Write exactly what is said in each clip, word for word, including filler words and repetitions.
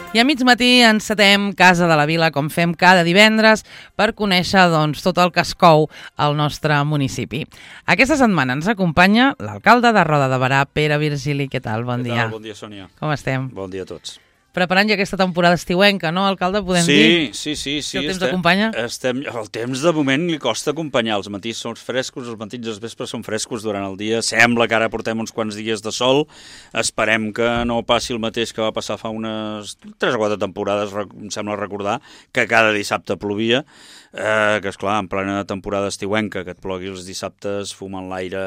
I a mig matí encetem Casa de la Vila, com fem cada divendres, per conèixer doncs, tot el que es cou al nostre municipi. Aquesta setmana ens acompanya l'alcalde de Roda de Berà, Pere Virgili. Què tal? Bon Què dia. tal? Bon dia, Sònia. Com estem? Bon dia a tots. Preparant ja aquesta temporada estiuenca, no, alcalde? Podem sí, dir? Sí, sí, sí. Si el temps estem, acompanya? Estem, el temps de moment li costa acompanyar. Els matins són frescos, els matins i els vespres són frescos durant el dia. Sembla que ara portem uns quants dies de sol. Esperem que no passi el mateix que va passar fa unes tres o quatre temporades, em sembla recordar, que cada dissabte plovia. Eh, que, esclar, en plena temporada estiuenca, que et plogui els dissabtes, fumen l'aire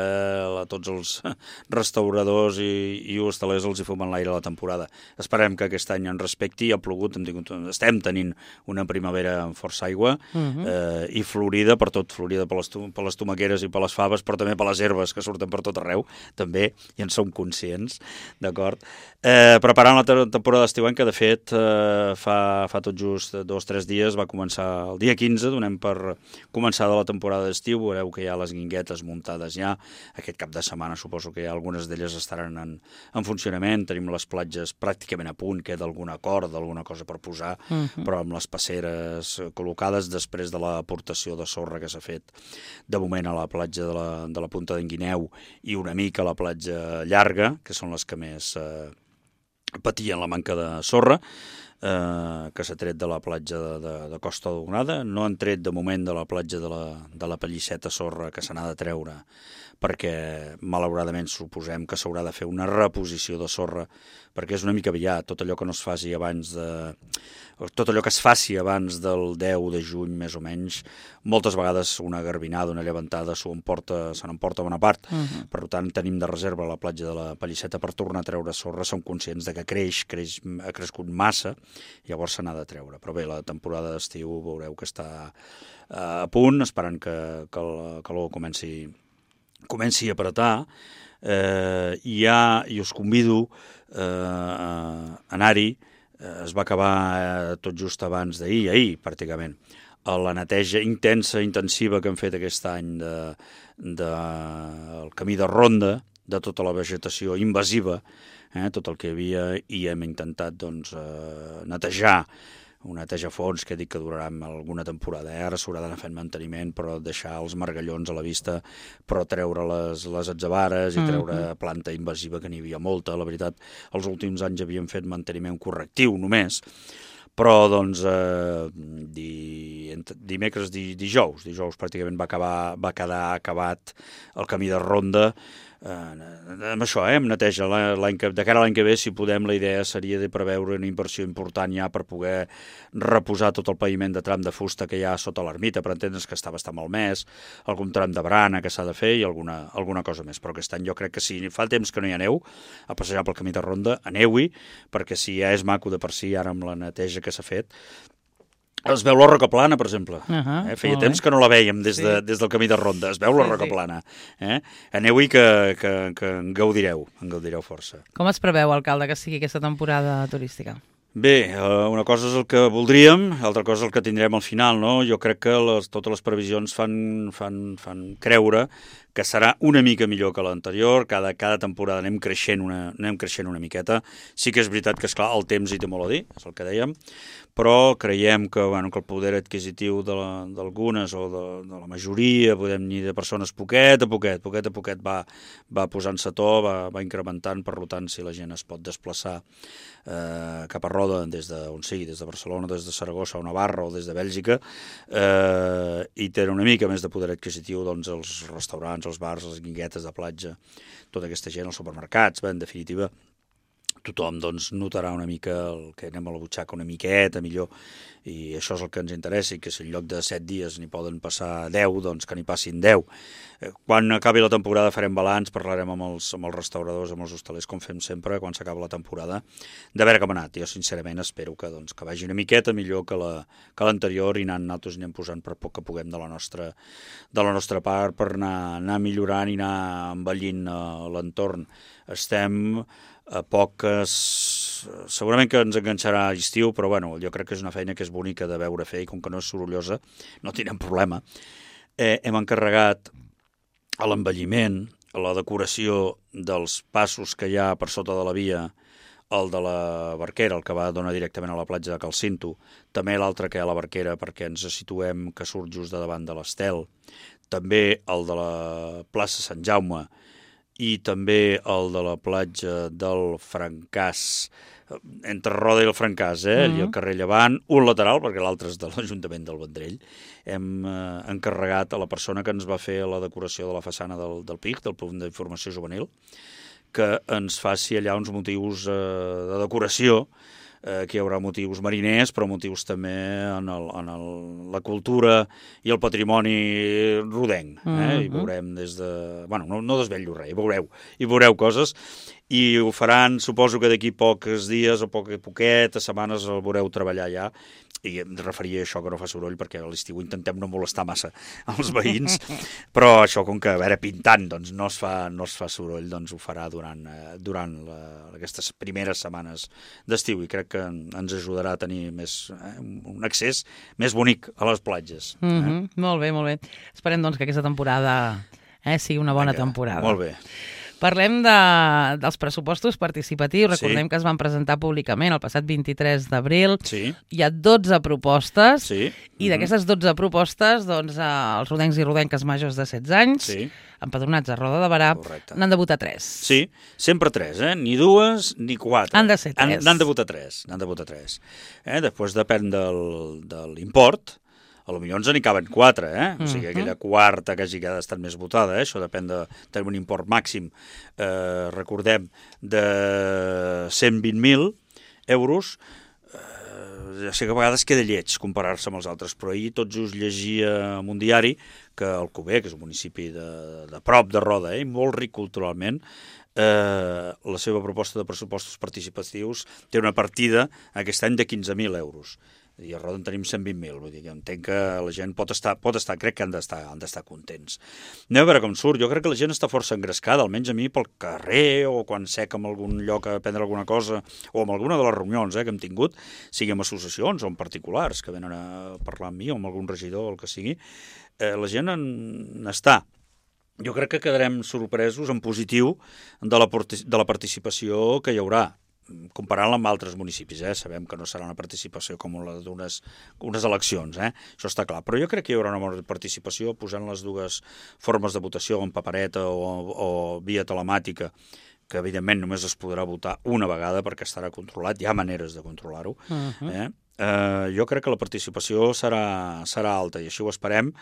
a tots els restauradors i, i hostalers els hi fumen l'aire a la temporada. Esperem que aquest any en respecti. Ha plogut, hem tingut, estem tenint una primavera amb força aigua uh-huh. eh, i florida per tot, florida per les, per les tomaqueres i per les faves, però també per les herbes que surten per tot arreu, també, i en som conscients, d'acord? Eh, preparant la temporada estiuenca, de fet, eh, fa, fa tot just dos o tres dies, va començar el dia quinze, donem per començar de la temporada d'estiu, veureu que hi ha les guinguetes muntades ja, aquest cap de setmana suposo que ja algunes d'elles estaran en, en funcionament, tenim les platges pràcticament a punt, queda alguna corda, alguna cosa per posar, uh-huh. però amb les passeres col·locades després de l'aportació de sorra que s'ha fet de moment a la platja de la, de la Punta d'en Guineu i una mica a la platja llarga, que són les que més eh, patien la manca de sorra, eh, que s'ha tret de la platja de, de, de Costa Daurada. No han tret de moment de la platja de la, de la Pallisseta sorra, que se n'ha de treure, perquè malauradament suposem que s'haurà de fer una reposició de sorra, perquè és una mica aviat, tot allò que no es faci abans de... tot allò que es faci abans del deu de juny, més o menys, moltes vegades una garbinada, una llevantada s'ho emporta, se n'emporta bona part. Uh-huh. Per tant, tenim de reserva la platja de la Pallisseta per tornar a treure sorra, som conscients de que creix, creix ha crescut massa, llavors se n'ha de treure. Però bé, la temporada d'estiu veureu que està a punt, esperant que, que el calor comenci comenci a apretar, eh, i, ja, i us convido eh, a anar-hi. Eh, es va acabar eh, tot just abans d'ahir, ahir pràcticament, a la neteja intensa, intensiva que hem fet aquest any de, de, el camí de ronda, de tota la vegetació invasiva, eh, tot el que hi havia, i hem intentat doncs, eh, netejar, un neteja a fons que dic que durarà alguna temporada. Eh? Ara s'haurà d'anar fent manteniment, però deixar els margallons a la vista, però treure les, les atzabares i treure uh-huh. planta invasiva, que n'hi havia molta. La veritat, els últims anys havíem fet manteniment correctiu només, però doncs eh, di, dimecres, di, dijous, dijous pràcticament va, acabar, va quedar acabat el camí de ronda. Eh, amb això, eh, amb neteja l'any que, de cara a l'any que ve, si podem, la idea seria de preveure una inversió important ja per poder reposar tot el paviment de tram de fusta que hi ha sota l'ermita, per entendre's que està bastant malmès, algun tram de barana que s'ha de fer i alguna, alguna cosa més. Però aquest any jo crec que si fa temps que no hi aneu a passejar pel camí de ronda, aneu-hi, perquè si ja és maco de per si, ara amb la neteja que s'ha fet, es veu la Roca Plana, per exemple. Uh-huh, eh? Feia temps que no la vèiem des, de, sí. des del camí de ronda. Es veu la sí, Roca sí. Plana. Eh? Aneu-hi que, que, que en gaudireu, en gaudireu força. Com es preveu, alcalde, que sigui aquesta temporada turística? Bé, una cosa és el que voldríem, l'altra cosa és el que tindrem al final, no? Jo crec que les, totes les previsions fan, fan, fan creure que serà una mica millor que l'anterior, cada, cada temporada anem creixent, una, anem creixent una miqueta. Sí que és veritat que, esclar, el temps hi té molt a dir, és el que dèiem, però creiem que, bueno, que el poder adquisitiu d'algunes o de, de la majoria, podem dir, de persones, poquet a poquet, poquet a poquet va, va posant-se to, va, va incrementant, per tant, si la gent es pot desplaçar eh, cap a Roda, des d'on sigui, des de Barcelona, des de Saragossa o Navarra o des de Bèlgica, eh, i té una mica més de poder adquisitiu, doncs, els restaurants, els bars, les guinguetes de platja, tota aquesta gent, els supermercats, bé, en definitiva, tothom doncs, notarà una mica el que anem a la butxaca una miqueta millor, i això és el que ens interessa, i que si en lloc de set dies n'hi poden passar deu, doncs que n'hi passin deu. Quan acabi la temporada farem balanç, parlarem amb els, amb els restauradors, amb els hostalers, com fem sempre quan s'acaba la temporada, de veure com ha anat. Jo sincerament espero que, doncs, que vagi una miqueta millor que la, que l'anterior, i anant, nosaltres anem posant per poc que puguem de la nostra, de la nostra part per anar, anar millorant i anar envellint uh, l'entorn. Estem a poques... Segurament que ens enganxarà a l'estiu, però bueno, jo crec que és una feina que és bonica de veure fer, i com que no és sorollosa, no tindrem problema. Eh, hem encarregat a l'embelliment, a la decoració dels passos que hi ha per sota de la via, el de la Barquera, el que va donar directament a la platja de Calcinto, també l'altre que hi ha a la Barquera perquè ens situem, que surt just de davant de l'Estel, també el de la plaça Sant Jaume i també el de la platja del Francàs, entre Roda i el Francàs, eh? Mm-hmm. I el carrer Llevant, un lateral, perquè l'altre és de l'Ajuntament del Vendrell. Hem eh, encarregat a la persona que ens va fer la decoració de la façana del, del P I C, del punt d'informació juvenil, que ens faci allà uns motius eh, de decoració, eh, que hi haurà motius mariners, però motius també en, el, en el, la cultura i el patrimoni rodenc. Eh? Mm-hmm. I veurem des de... Bueno, no, no desvetllo res, hi veureu, hi veureu coses, i ho faran, suposo que d'aquí pocs dies o poc, poquetes setmanes el veureu treballar ja, i em referia a això que no fa soroll, perquè a l'estiu intentem no molestar massa els veïns, però això, com que, a veure, pintant, doncs no es fa, no es fa soroll, doncs ho farà durant, eh, durant la, aquestes primeres setmanes d'estiu, i crec que ens ajudarà a tenir més, eh, un accés més bonic a les platges. Eh? Mm-hmm. Molt bé, molt bé. Esperem, doncs, que aquesta temporada eh, sigui una bona Vinga, temporada. Molt bé. Parlem de, dels pressupostos participatius. Recordem sí. que es van presentar públicament el passat vint-i-tres d'abril. Sí. Hi ha dotze propostes sí. i d'aquestes dotze propostes doncs, eh, els rodencs i rodenques majors de setze anys, sí. empadronats a Roda de Berà, n'han de votar tres. Sí, sempre tres, eh? Ni dues ni quatre. Han de ser tres. N'han de votar tres. N'han de votar tres. Eh? Després depèn del, de l'import. A lo millor ens n'hi caben quatre, eh? O sigui, aquella quarta que hagi estat més votada, eh? Això depèn de tenir un import màxim, eh, recordem, de cent vint mil euros. Eh, ja sé que a vegades queda lleig comparar-se amb els altres, però ahir tot just llegia en un diari que Alcover, que és un municipi de, de prop de Roda, eh? molt ric culturalment, eh, la seva proposta de pressupostos participatius té una partida aquest any de quinze mil euros. I a Roda en tenim cent vint mil, vull dir que entenc que la gent pot estar, pot estar crec que han d'estar han d'estar contents. Anem a veure com surt, jo crec que la gent està força engrescada, almenys a mi pel carrer o quan sec en algun lloc a prendre alguna cosa, o en alguna de les reunions eh, que hem tingut, sigui amb associacions o en particulars que venen a parlar amb mi o amb algun regidor o el que sigui, eh, la gent en està. Jo crec que quedarem sorpresos en positiu de la, de la participació que hi haurà, comparant-la amb altres municipis, eh? Sabem que no serà una participació com la d'unes unes eleccions, eh? Això està clar, però jo crec que hi haurà una bona participació posant les dues formes de votació, en papereta o, o via telemàtica, que evidentment només es podrà votar una vegada perquè estarà controlat, hi ha maneres de controlar-ho. Uh-huh. eh? Eh, jo crec que la participació serà, serà alta i així ho esperem,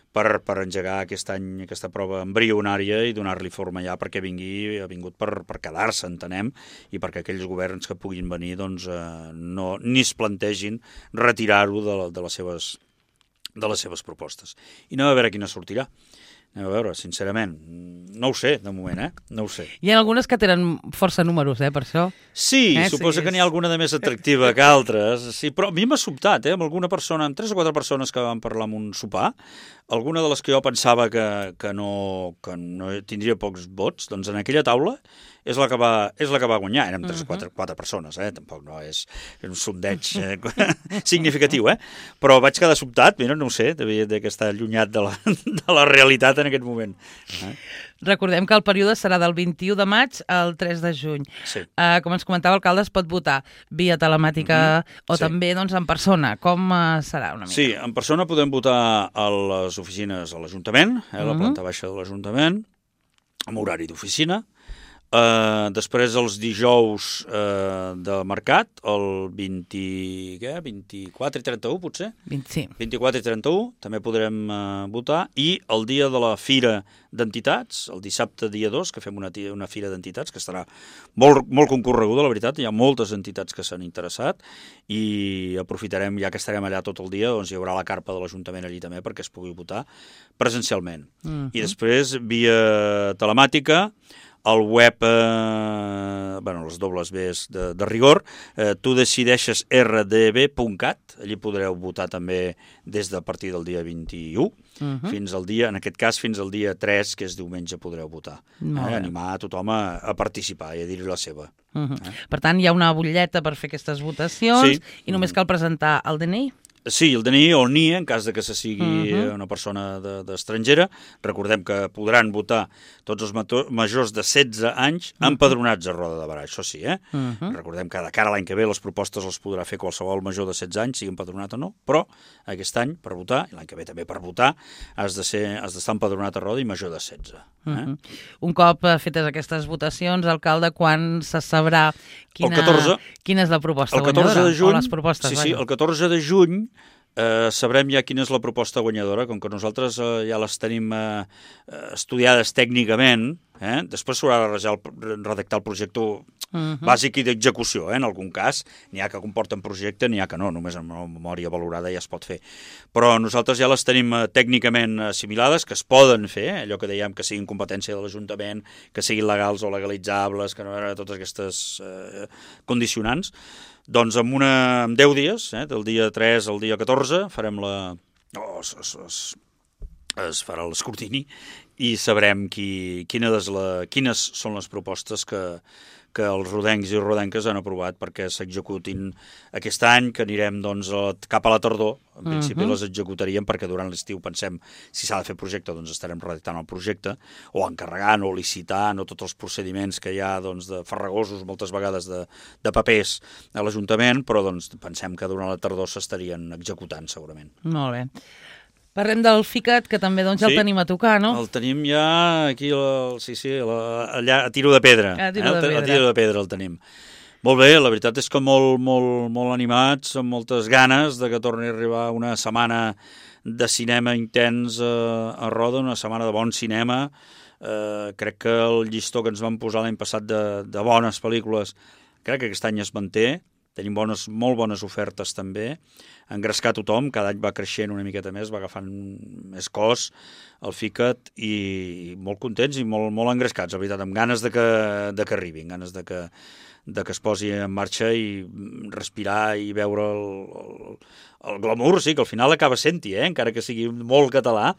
per, per engegar aquest any aquesta prova embrionària i donar-li forma ja perquè vingui, ha vingut per, per quedar-se, entenem, i perquè aquells governs que puguin venir doncs, eh, no, ni es plantegin retirar-ho de, de, les seves, de les seves propostes. I anem a veure quina sortirà. Anem a veure, sincerament, no ho sé, de moment, eh? No ho sé. Hi ha algunes que tenen força números, eh, per això. Sí, eh, suposo sí, que n'hi ha alguna de més atractiva que altres, sí, però a mi m'ha sobtat, eh, amb alguna persona, amb tres o quatre persones que van parlar amb un sopar, alguna de les que jo pensava que, que, no, que no tindria pocs vots, doncs en aquella taula és la que va, és la que va guanyar. Érem tres o quatre, quatre persones, eh? Tampoc no és un sondeig eh? significatiu, eh? Però vaig quedar sobtat, mira, no ho sé, devia d'estar allunyat de la, de la realitat en aquest moment. Eh? Recordem que el període serà del vint-i-u de maig al tres de juny. Sí. Uh, com ens comentava, l'alcalde es pot votar via telemàtica mm-hmm. o sí. també doncs, en persona. Com uh, serà una mica? Sí, en persona podem votar a les oficines a l'Ajuntament, eh, la mm-hmm. planta baixa de l'Ajuntament, amb horari d'oficina. Uh, després els dijous uh, de mercat, el vint, què? vint-i-quatre i trenta-u, potser? vint, sí. vint-i-quatre i trenta-u, també podrem uh, votar. I el dia de la Fira d'Entitats, el dissabte dia dos, que fem una, una Fira d'Entitats, que estarà molt, molt concorreguda, la veritat. Hi ha moltes entitats que s'han interessat i aprofitarem, ja que estarem allà tot el dia, doncs hi haurà la carpa de l'Ajuntament allí també perquè es pugui votar presencialment. Mm-hmm. I després, via telemàtica, el web, eh, bueno, les dobles Bs de, de rigor, eh, tu decideixes erre de be punt cat, allí podreu votar també des de partir del dia vint-i-u, uh-huh. fins al dia, en aquest cas, fins al dia tres, que és diumenge, podreu votar. Eh, animar a tothom a, a participar i a dir-hi la seva. Uh-huh. eh? Per tant, hi ha una butlleta per fer aquestes votacions sí. i només cal presentar el de ena i? Sí, el D N I o el N I E, en cas de que se sigui uh-huh. una persona d'estrangera. Recordem que podran votar tots els majors de setze anys uh-huh. empadronats a Roda de Berà, això sí, eh? Uh-huh. Recordem que de cara a l'any que ve les propostes les podrà fer qualsevol major de setze anys, sigui empadronat o no, però aquest any per votar, i l'any que ve també per votar, has de ser, has d'estar empadronat a Roda i major de setze. Eh? Uh-huh. Un cop fetes aquestes votacions, alcalde, quan se sabrà quina, catorze, quina és la proposta el catorze guanyadora? de juny, o les propostes, sí, sí, el catorze de juny Eh, sabrem ja quina és la proposta guanyadora, com que nosaltres eh, ja les tenim eh, estudiades tècnicament, eh? Després s'haurà de redactar el projecte uh-huh. bàsic i d'execució, eh? En algun cas. N'hi ha que comporten projecte, n'hi ha que no, només amb una memòria valorada ja es pot fer. Però nosaltres ja les tenim eh, tècnicament assimilades, que es poden fer, eh? Allò que dèiem que siguin competència de l'Ajuntament, que siguin legals o legalitzables, que no eren totes aquestes eh, condicionants. Doncs en, una, en deu dies, eh, del dia tres al dia catorze, farem la... Oh, es, es, es, es farà l'escrutini i sabrem qui, quina des la, quines són les propostes que, que els rodencs i rodenques han aprovat perquè s'executin aquest any, que anirem doncs, cap a la tardor. En principi uh-huh. les executaríem perquè durant l'estiu pensem si s'ha de fer projecte, doncs estarem redactant el projecte, o encarregant, o licitant, o tots els procediments que hi ha doncs, de farragosos moltes vegades de, de papers a l'Ajuntament, però doncs, pensem que durant la tardor s'estarien executant segurament. Molt bé. Parlem del FICAT, que també doncs, ja sí, el tenim a tocar, no? El tenim ja aquí, el, sí, sí, la, allà a tiro de pedra. A tiro de eh? pedra. A tiro de pedra el tenim. Molt bé, la veritat és que molt, molt, molt animats, amb moltes ganes de que torni a arribar una setmana de cinema intens a, a Roda, una setmana de bon cinema. Eh, crec que el llistó que ens van posar l'any passat de, de bones pel·lícules, crec que aquest any es manté. Tenim bones, molt bones ofertes també. Engrescar tothom, cada any va creixent una miqueta més, va agafant més cos el FICAT i molt contents i molt, molt engrescats, la veritat, amb ganes de que, de que arribin, ganes de que, de que es posi en marxa i respirar i veure el, el, el glamour, sí, que al final acaba sent-hi, eh? Encara que sigui molt català,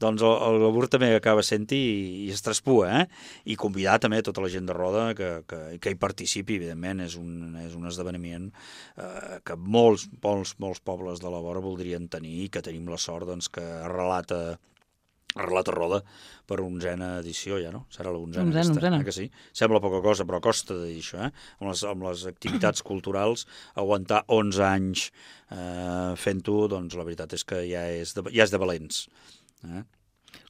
doncs el, el glamour també acaba sent-hi i, i es traspua, eh? I convidar també tota la gent de Roda que, que, que hi participi, evidentment, és un, és un esdeveniment eh, que molts, molts, molts pobles de la vora voldrien tenir i que tenim la sort doncs, que arrelat a, arrelat a Roda per onzena edició, ja, no? Serà l'onzena. Onzena, onzena. Eh, que sí? Sembla poca cosa, però costa de dir això, eh? Amb les, amb les activitats culturals, aguantar onze anys eh, fent-ho, doncs la veritat és que ja és de, ja és de valents. Eh?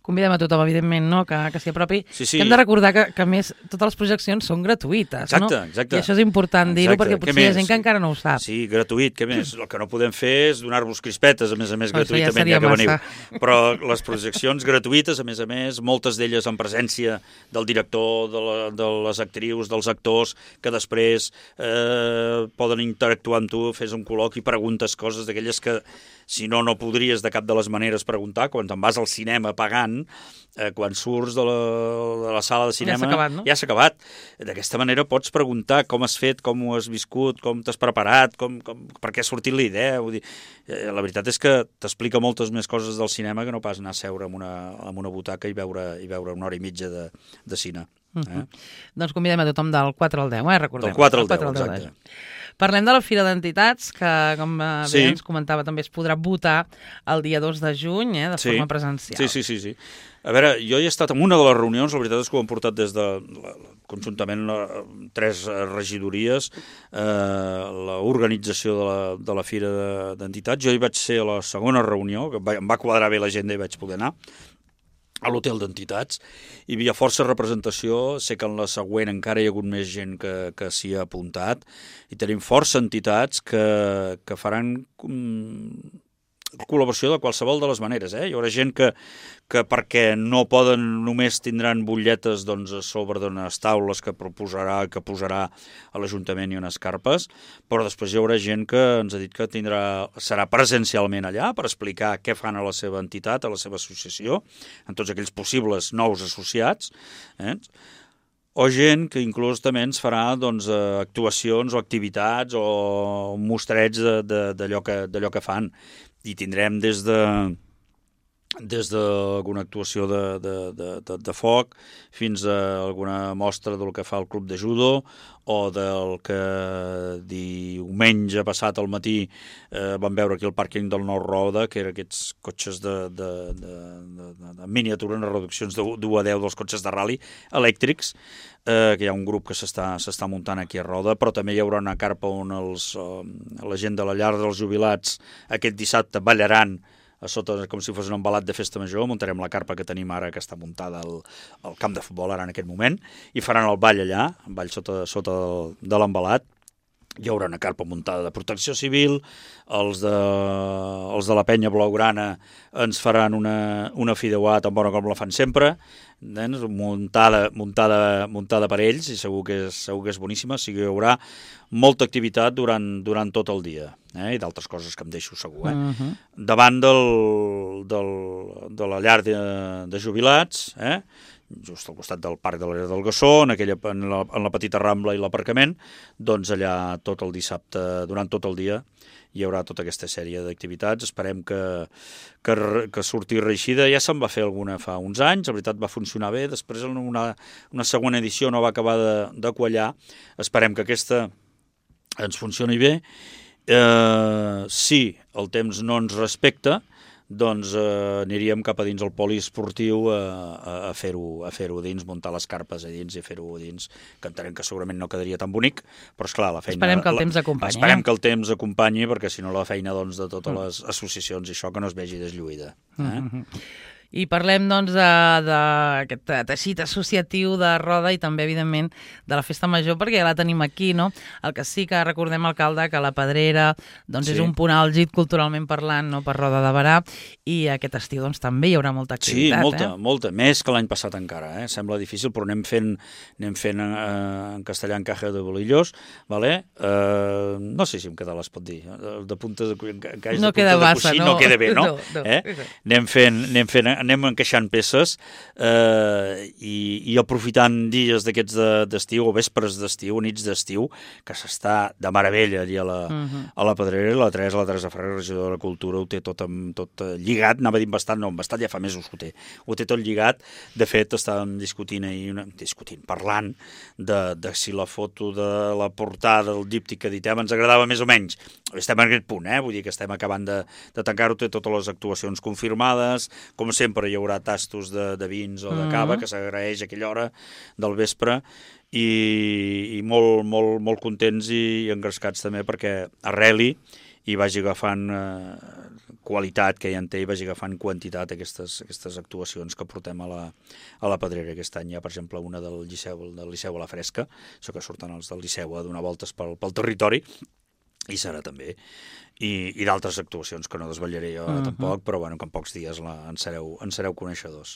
Convidem a tothom, evidentment, no? que, que s'hi apropi. Sí, sí. Que hem de recordar que, que, a més, totes les projeccions són gratuïtes, exacte, no? Exacte, I això és important dir-ho, perquè potser hi ha gent que encara no ho sap. Sí, gratuït, què més? El que no podem fer és donar-vos crispetes, a més a més, no, gratuïtament, ja, ja que veniu. Però les projeccions gratuïtes, a més a més, moltes d'elles en presència del director, de, la, de les actrius, dels actors, que després eh, poden interactuar amb tu, fes un col·loqui, preguntes coses d'aquelles que si no, no podries de cap de les maneres preguntar, quan te'n vas al cinema pagant, eh, quan surts de la, de la sala de cinema... Ja s'ha acabat, no? Ja s'ha acabat. D'aquesta manera pots preguntar com has fet, com ho has viscut, com t'has preparat, com, com, per què ha sortit la idea. Vull dir, eh, la veritat és que t'explica moltes més coses del cinema que no pas anar a seure en una, en una butaca i veure, i veure una hora i mitja de, de cine. Eh? Uh-huh. Doncs convidem a tothom del quatre al deu, eh? Recordem. Del quatre al deu, exacte. Parlem de la Fira d'Entitats, que, com sí. bé ens comentava, també es podrà votar el dia dos de juny, eh, de sí. forma presencial. Sí, sí, sí, sí. A veure, jo he estat en una de les reunions, la veritat és que ho hem portat des de, la, conjuntament, la, tres regidories, eh, l'organització de, la, de la Fira d'Entitats. Jo hi vaig ser a la segona reunió, que em va quadrar bé l'agenda i vaig poder anar, a l'hotel d'entitats, hi havia força representació, sé que en la següent encara hi ha hagut més gent que, que s'hi ha apuntat, i tenim força entitats que, que faran um, col·laboració de qualsevol de les maneres. Eh? Hi haurà gent que, que perquè no poden, només tindran butlletes doncs, a sobre d'unes taules que proposarà, que posarà a l'Ajuntament i unes carpes, però després hi haurà gent que ens ha dit que tindrà, serà presencialment allà per explicar què fan a la seva entitat, a la seva associació, en tots aquells possibles nous associats, eh? O gent que inclús també ens farà doncs, actuacions o activitats o mostreig d'allò que, d'allò que fan. I tindrem des de des d'alguna actuació de, de, de, de, de foc fins a alguna mostra del que fa el club de judo o del que diumenge passat al matí eh, vam veure aquí el pàrquing del Nou Roda, que eren aquests cotxes de, de, de, de, de miniatura, en reduccions de d'u a deu dels cotxes de rally elèctrics, eh, que hi ha un grup que s'està s'està muntant aquí a Roda, però també hi haurà una carpa on els, eh, la gent de la llar dels jubilats aquest dissabte ballaran a sota, com si fos un embalat de festa major. Muntarem la carpa que tenim ara, que està muntada al, al camp de futbol ara en aquest moment, i faran el ball allà, el ball sota, sota del, de l'embalat. Hi haurà una carpa muntada de protecció civil, els de, els de la penya blaugrana ens faran una, una fideuà tan bona com la fan sempre, doncs, muntada, muntada, muntada per ells, i segur que és, segur que és boníssima. O sigui, hi haurà molta activitat durant, durant tot el dia, eh? I d'altres coses que em deixo segur. Eh? Uh-huh. Davant del, del, de la llar de, de jubilats, eh? just al costat del Parc de l'Era del Gassó, en, aquella, en, la, en la petita Rambla i l'aparcament, doncs allà tot el dissabte, durant tot el dia, hi haurà tota aquesta sèrie d'activitats. Esperem que, que, que surti reeixida. Ja se'n va fer alguna fa uns anys, la veritat va funcionar bé, després en una, una segona edició no va acabar de, de quallar. Esperem que aquesta ens funcioni bé. Eh, si el temps no ens respecta, doncs eh, aniríem cap a dins el poliesportiu a, a, a fer-ho a fer-ho dins, muntar les carpes a dins i fer-ho a dins, que entenem que segurament no quedaria tan bonic, però esclar, la feina... Esperem que el temps acompanyi. Esperem que el temps acompanyi, perquè si no la feina doncs, de totes les associacions i això que no es vegi deslluïda. Eh? Mm-hmm. I parlem, doncs, d'aquest teixit associatiu de Roda i també, evidentment, de la Festa Major, perquè ja la tenim aquí, no? El que sí que recordem, alcalde, que la Pedrera doncs, sí. és un punt àlgid culturalment parlant, no?, per Roda de Berà, i aquest estiu doncs, també hi haurà molta activitat. Sí, molta, eh? molta, més que l'any passat encara. Eh? Sembla difícil, però anem fent, anem fent eh, en castellà en Caja de Bolillos, vale? eh, no sé si en català es pot dir, de puntes de, en no queda massa, coixí, no? no queda bé, no? no, no. Eh? Anem fent, anem fent anem encaixant peces eh, i, i aprofitant dies d'aquests d'estiu, o vespres d'estiu, nits d'estiu, que s'està de meravella allà a la, uh-huh. a la Pedrera. La Teresa, la Teresa Ferrer, regidora de la Cultura, ho té tot, amb, tot lligat, anava dient bastant, no, bastant ja fa mesos ho té, ho té tot lligat. De fet, estàvem discutint ahir, una, discutint, parlant de, de si la foto de la portada, el díptic que editem, ens agradava més o menys. Estem en aquest punt, eh? Vull dir que estem acabant de, de tancar-ho, té totes les actuacions confirmades, com sempre hi haurà tastos de, de vins o de cava, mm-hmm. que s'agraeix a aquella hora del vespre, i, i molt, molt, molt contents i engrescats també perquè arreli i vagi agafant eh, qualitat que ja en té i vagi agafant quantitat aquestes, aquestes actuacions que portem a la, a la Pedrera aquest any. Hi ha, per exemple, una del Liceu, del Liceu a la Fresca, això que surten els del Liceu a donar voltes pel, pel territori, i serà també, i, i d'altres actuacions que no desvetllaré jo uh-huh. tampoc, però bueno, que en pocs dies la, en, sereu, en sereu coneixedors.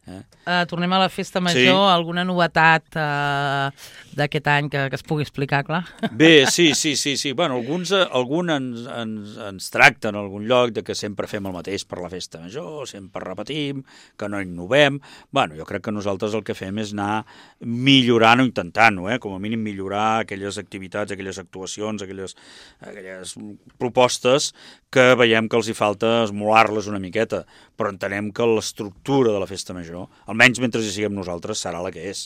Eh? Uh, tornem a la Festa Major, sí. Alguna novetat uh, d'aquest any que, que es pugui explicar, clar? Bé, sí, sí, sí, sí. Bueno, alguns, alguns ens, ens, ens tracten en algun lloc de que sempre fem el mateix per la Festa Major, sempre repetim, que no innovem. Bueno, jo crec que nosaltres el que fem és anar millorant o intentant-ho, eh? Com a mínim millorar aquelles activitats, aquelles actuacions, aquelles, aquelles propostes que veiem que els hi falta esmolar-les una miqueta, però entenem que l'estructura de la Festa Major, almenys mentre hi siguem nosaltres, serà la que és.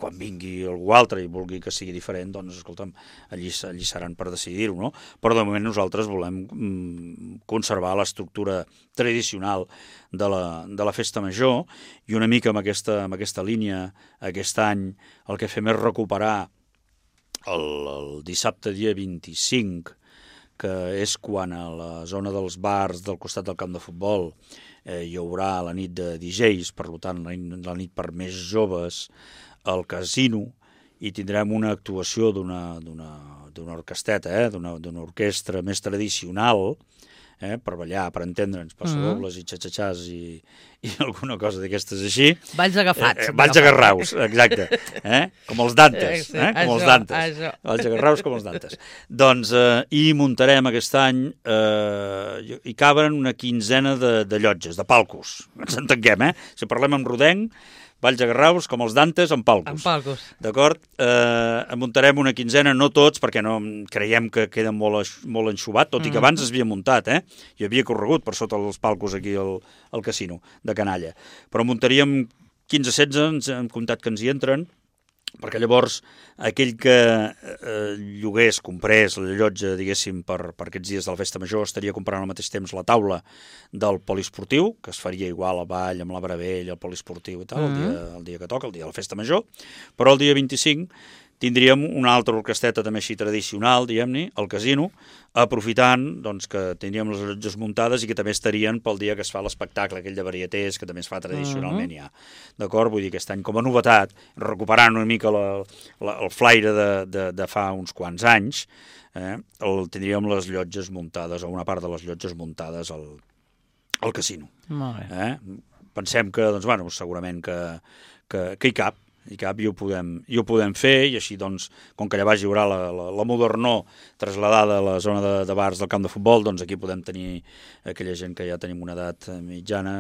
Quan vingui algú altre i vulgui que sigui diferent, doncs, escolta'm, allí, allí seran per decidir-ho, no? Però de moment nosaltres volem mm, conservar l'estructura tradicional de la, de la Festa Major, i una mica amb aquesta, amb aquesta línia, aquest any, el que fem és recuperar el, el dissabte dia vint-i-cinc, que és quan a la zona dels bars del costat del camp de futbol eh, hi haurà la nit de D Js, per tant la nit, la nit per més joves, al casino, i tindrem una actuació d'una d'una d'una orquesteta, eh, d'una d'una orquestra més tradicional, eh, per ballar, per entendre'ns, passadobles mm-hmm. i xatxatxàs i, i alguna cosa d'aquestes així. Balls agafats. Eh, balls agarraus, exacte. Eh? Com els Dantes. Eh? Com això, els Dantes. Això. Balls agarraus com els Dantes. Doncs, eh, i muntarem aquest any, eh, hi caben una quinzena de, de llotges, de palcos. Ens entenguem, eh? Si parlem amb rodenc, balls agarraus, com els Dantes, amb palcos. Amb palcos. D'acord? Eh, en muntarem una quinzena, no tots, perquè no creiem que queda molt, molt enxubat, tot i que abans es havia muntat, eh? I havia corregut per sota els palcos aquí al, al casino de Canalla. Però muntaríem quinze setze, ens hem comptat que ens hi entren, perquè llavors aquell que eh, llogués, comprés la llotja, diguéssim, per, per aquests dies de la festa major, estaria comprant al mateix temps la taula del poliesportiu, que es faria igual a Vall, amb la Bravell, el poliesportiu i tal, mm -hmm. el, dia, el dia que toca, el dia de la festa major, però el dia vint-i-cinc tindríem una altra orquesteta també així tradicional, diguem-ne, al casino, aprofitant doncs, que tindríem les llotges muntades i que també estarien pel dia que es fa l'espectacle, aquell de varietés, que també es fa tradicionalment ja. D'acord? Vull dir, aquest any com a novetat, recuperant una mica la, la, el flaire de, de, de fa uns quants anys, eh, el, tindríem les llotges muntades, o una part de les llotges muntades al, al casino. Molt bé. Eh? Pensem que, doncs, bueno, segurament que, que, que hi cap, i cap i ho podem, i ho podem fer, i així doncs, com que allà baix hi haurà la, la, la modernor trasladada a la zona de, de bars del camp de futbol, doncs aquí podem tenir aquella gent que ja tenim una edat mitjana,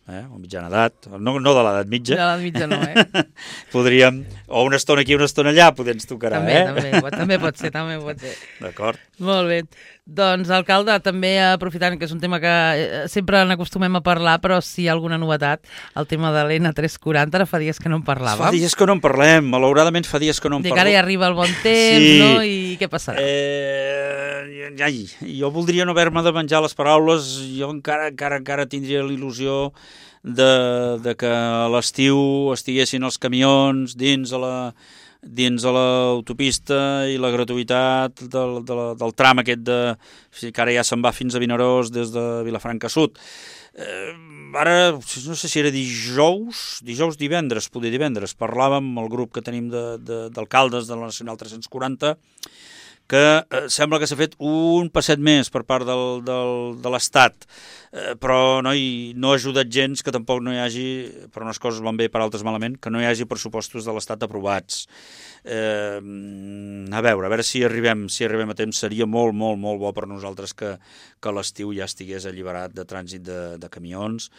eh, o mitjana edat, no, no de l'edat mitja. De l'edat mitja no, eh? Podríem, o una estona aquí, una estona allà, potser ens tocarà, també, eh? També, pot, també pot ser, també pot ser. D'acord. Molt bé. Doncs, alcalde, també aprofitant que és un tema que sempre n'acostumem a parlar, però si hi ha alguna novetat, el tema de l'N tres quaranta, ara fa dies que no en parlàvem. Fa dies que no en parlem, malauradament fa dies que no en parlem. Dic, ara ja arriba el bon temps, sí. No? I què passarà? Eh, ai, jo voldria no haver-me de menjar les paraules, jo encara, encara, encara tindria l'il·lusió de, de que a l'estiu estiguessin els camions dins a la... dins a l'autopista i la gratuïtat del, del, del tram aquest de... que ara ja se'n va fins a Vinaròs des de Vilafranca Sud. Eh, ara, no sé si era dijous, dijous divendres, poder divendres, parlàvem amb el grup que tenim d'alcaldes de, de la Nacional tres-cents quaranta, que eh, sembla que s'ha fet un passet més per part del, del, de l'Estat, eh, però no, hi, no ha ajudat gens que tampoc no hi hagi, per unes coses van bé, per altres malament, que no hi hagi pressupostos de l'Estat aprovats. Eh, a veure, a veure si arribem, si arribem a temps, seria molt, molt, molt bo per nosaltres que, que l'estiu ja estigués alliberat de trànsit de, de camions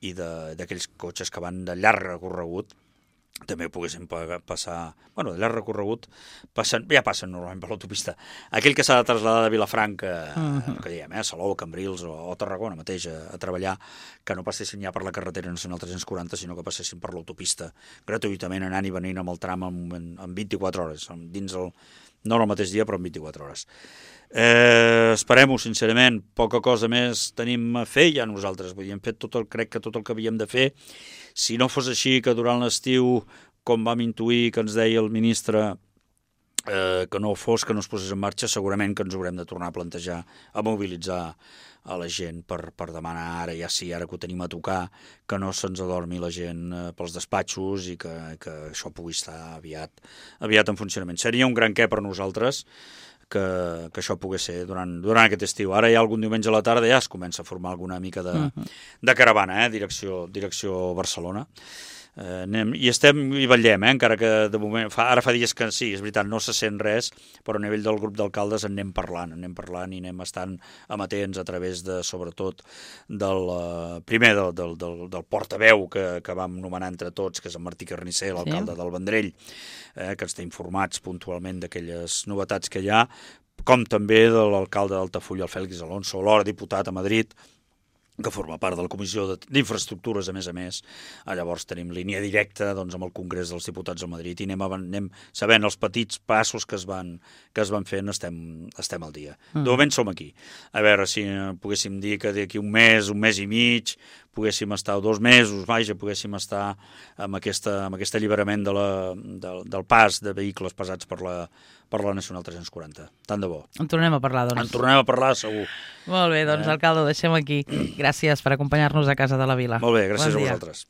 i d'aquells cotxes que van de llarg recorregut, també poguessin passar, bueno, de llarg recorregut, passen, ja passen normalment per l'autopista. Aquell que s'ha de traslladar de Vilafranca, uh-huh. que diguem, eh, Salou, Cambrils o, o Tarragona mateix a, a treballar, que no passessin ja per la carretera nacional tres-cents quaranta, sinó que passessin per l'autopista, gratuïtament anant i venint amb el tram en, en, en vint-i-quatre hores, dins el, no el mateix dia, però en vint-i-quatre hores. Eh, esperem-ho, sincerament, poca cosa més tenim a fer ja nosaltres, vull dir, hem fet tot el, crec que tot el que havíem de fer. Si no fos així, que durant l'estiu, com vam intuir que ens deia el ministre, eh, que no fos, que no es posés en marxa, segurament que ens haurem de tornar a plantejar, a mobilitzar a la gent per, per demanar ara, ja sí, ara que ho tenim a tocar, que no se'ns adormi la gent eh, pels despatxos i que, que això pugui estar aviat, aviat en funcionament. Seria un gran què per nosaltres, que, que això pogués ser durant, durant aquest estiu. Ara ja algun diumenge a la tarda ja es comença a formar alguna mica de, uh-huh. de caravana, eh? direcció, direcció Barcelona. Eh, anem, i estem i vetllem, eh? encara que de moment fa, ara fa dies que sí, és veritat, no se sent res, però a nivell del grup d'alcaldes en anem parlant, anem parlant i anem estant amatents a través de, sobretot, del uh, primer del, del, del, del portaveu que, que vam nomenar entre tots, que és en Martí Carnicer, l'alcalde sí. del Vendrell, eh, que ens té informats puntualment d'aquelles novetats que hi ha, com també de l'alcalde d'Altafulla, el Fèlix Alonso, l'hora diputat a Madrid, que forma part de la Comissió d'Infraestructures, a més a més. Llavors tenim línia directa doncs, amb el Congrés dels Diputats a Madrid i anem, anem sabent els petits passos que es van, que es van fent, estem, estem al dia. Mm. De moment som aquí. A veure si poguéssim dir que d'aquí un mes, un mes i mig, poguéssim estar dos mesos, vaja, poguéssim estar amb, aquesta, amb aquest alliberament de la, del, del pas de vehicles pesats per la, per la Nacional tres-cents quaranta. Tant de bo. En tornem a parlar, doncs. En tornem a parlar, segur. Molt bé, doncs, eh? alcalde, ho deixem aquí. Gràcies per acompanyar-nos a Casa de la Vila. Molt bé, gràcies bon a vosaltres.